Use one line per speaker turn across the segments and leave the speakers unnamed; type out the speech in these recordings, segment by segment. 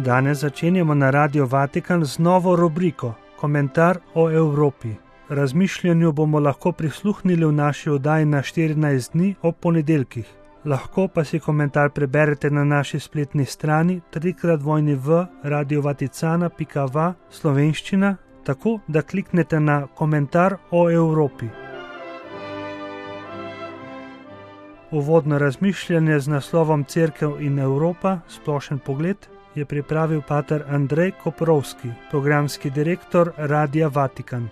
Danes začenjamo na Radio Vatikan z novo rubriko Komentar o Evropi. Razmišljanju bomo lahko prisluhnili v naši oddaji na 14 dni ob ponedeljkih. Lahko pa si komentar preberete na naši spletni strani www.radiovaticana.va slovenščina, tako da kliknete na Komentar o Evropi. Uvodno razmišljanje z naslovom Cerkev in Evropa, splošen pogled, je pripravil pater Andrej Koprovski, programski direktor Radia Vatikan.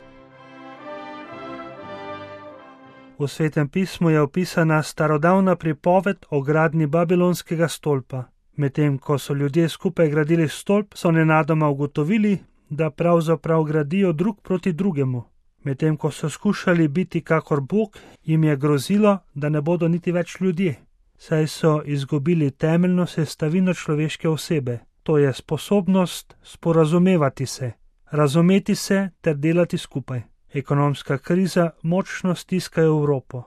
V Svetem pismu je opisana starodavna pripoved o gradnji Babilonskega stolpa. Medtem ko so ljudje skupaj gradili stolp, so nenadoma ugotovili, da pravzaprav gradijo drug proti drugemu. Medtem ko so skušali biti kakor Bog, jim je grozilo, da ne bodo niti več ljudje, saj so izgubili temeljno sestavino človeške osebe, to je sposobnost sporazumevati se, razumeti se ter delati skupaj. Ekonomska kriza močno stiska Evropo.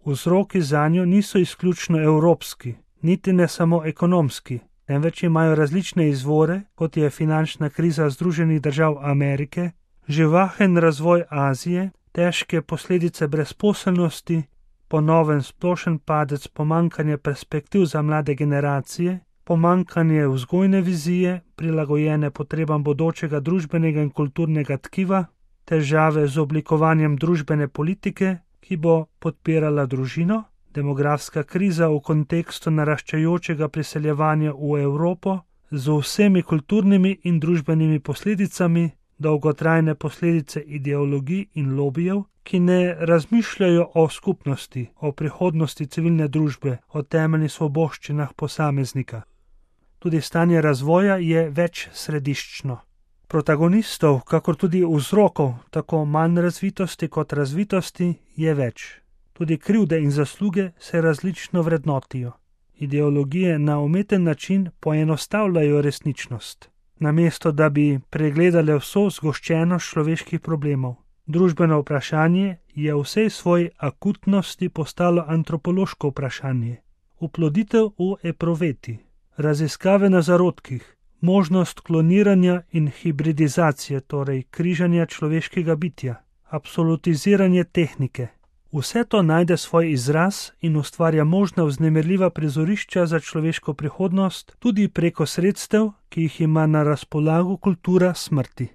Vzroki zanjo niso izključno evropski, niti ne samo ekonomski, temveč imajo različne izvore, kot je finančna kriza Združenih držav Amerike, živahen razvoj Azije, težke posledice brezposelnosti, ponoven splošen padec pomanjkanja perspektiv za mlade generacije, pomanjkanje vzgojne vizije, prilagojene potrebam bodočega družbenega in kulturnega tkiva, težave z oblikovanjem družbene politike, ki bo podpirala družino, demografska kriza v kontekstu naraščajočega priseljevanja v Evropo z vsemi kulturnimi in družbenimi posledicami, dolgotrajne posledice ideologij in lobijev, ki ne razmišljajo o skupnosti, o prihodnosti civilne družbe, o temeljnih svoboščinah posameznika. Tudi stanje razvoja je večsrediščno. Protagonistov, kakor tudi vzrokov, tako manj razvitosti kot razvitosti, je več. Tudi krivde in zasluge se različno vrednotijo. Ideologije na umeten način poenostavljajo resničnost, namesto da bi pregledale vso zgoščenost človeških problemov. Družbeno vprašanje je v vsej svoji akutnosti postalo antropološko vprašanje. Uploditev v epruveti, raziskave na zarodkih, možnost kloniranja in hibridizacije, torej križanja človeškega bitja, absolutiziranje tehnike. Vse to najde svoj izraz in ustvarja možna vznemirljiva prizorišča za človeško prihodnost tudi preko sredstev, ki jih ima na razpolago kultura smrti.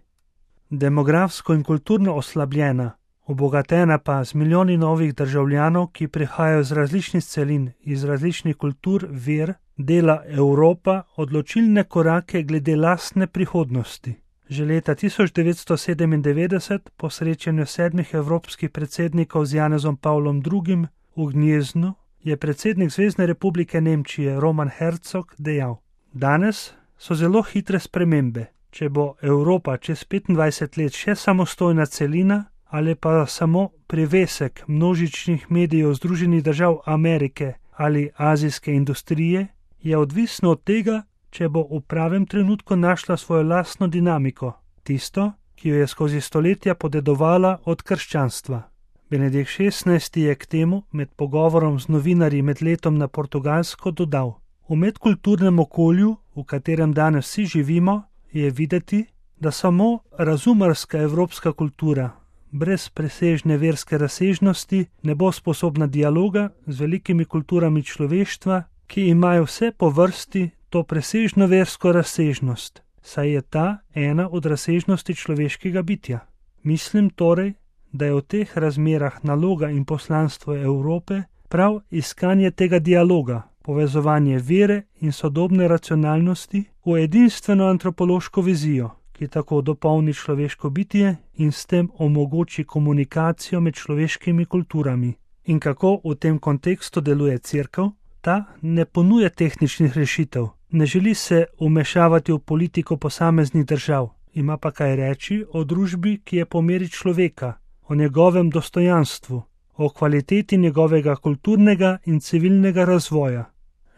Demografsko in kulturno oslabljena, obogatena pa z milijoni novih državljanov, ki prihajajo z različnih celin, iz različnih kultur, ver, dela Evropa odločilne korake glede lastne prihodnosti. Že leta 1997, po srečanju 7 evropskih predsednikov z Janezom Pavlom II. V Gnjeznu, je predsednik Zvezne republike Nemčije Roman Herzog dejal: Danes so zelo hitre spremembe. Če bo Evropa čez 25 let še samostojna celina ali pa samo privesek množičnih medijev Združenih držav Amerike ali azijske industrije, je odvisno od tega, če bo v pravem trenutku našla svojo lastno dinamiko, tisto, ki jo je skozi stoletja podedovala od krščanstva. Benedikt XVI. Je k temu med pogovorom z novinarji med letom na Portugalsko dodal: V medkulturnem okolju, v katerem danes vsi živimo, je videti, da samo razumarska evropska kultura, brez presežne verske razsežnosti, ne bo sposobna dialoga z velikimi kulturami človeštva, ki imajo vse po vrsti to presežno versko razsežnost, saj je ta ena od razsežnosti človeškega bitja. Mislim torej, da je v teh razmerah naloga in poslanstvo Evrope prav iskanje tega dialoga, povezovanje vere in sodobne racionalnosti v edinstveno antropološko vizijo, ki tako dopolni človeško bitje in s tem omogoči komunikacijo med človeškimi kulturami. In kako v tem kontekstu deluje Cerkev? Ta ne ponuja tehničnih rešitev, ne želi se vmešavati v politiko posameznih držav, ima pa kaj reči o družbi, ki je po meri človeka, o njegovem dostojanstvu, o kvaliteti njegovega kulturnega in civilnega razvoja.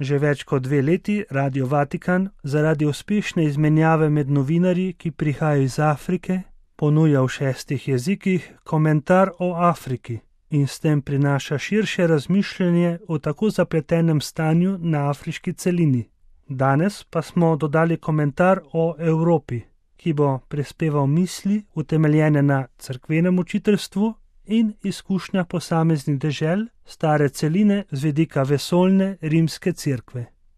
Že več kot 2 leti Radio Vatikan zaradi uspešne izmenjave med novinarji, ki prihajajo iz Afrike, ponuja v 6 jezikih komentar o Afriki in s tem prinaša širše razmišljanje o tako zapletenem stanju na afriški celini. Danes pa smo dodali komentar o Evropi, ki bo prispeval misli utemeljene na cerkvenem učiteljstvu in izkušnja posameznih dežel stare celine z vidika vesoljne rimske cerkve.